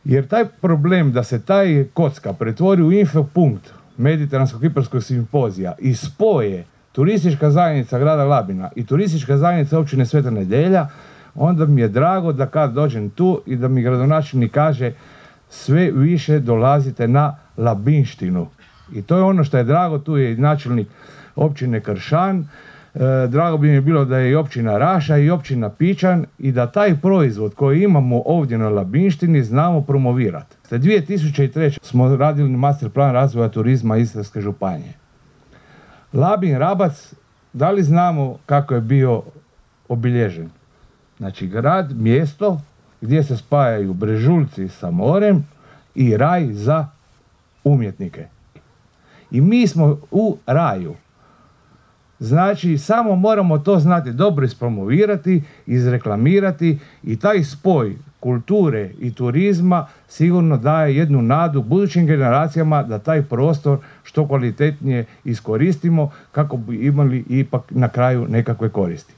Jer taj problem da se taj kocka pretvori u infopunkt Mediteransko-Kiparskog simpozija i spoje turistička zajednica grada Labina i turistička zajednica općine Sveta Nedelja, onda mi je drago da kad dođem tu i da mi gradonačelnik kaže sve više dolazite na labinštinu. I to je ono što je drago, tu je i načelnik općine Kršan, drago bi mi bilo da je i općina Raša i općina Pičan i da taj proizvod koji imamo ovdje na labinštini znamo promovirati. 2003. smo radili master plan razvoja turizma Istarske županije. Labin Rabac, da li znamo kako je bio obilježen? Znači grad, mjesto gdje se spajaju Brežuljci sa morem i raj za umjetnike. I mi smo u raju. Znači, samo moramo to znati dobro ispromovirati, izreklamirati i taj spoj kulture i turizma sigurno daje jednu nadu budućim generacijama da taj prostor što kvalitetnije iskoristimo kako bi imali ipak na kraju nekakve koristi.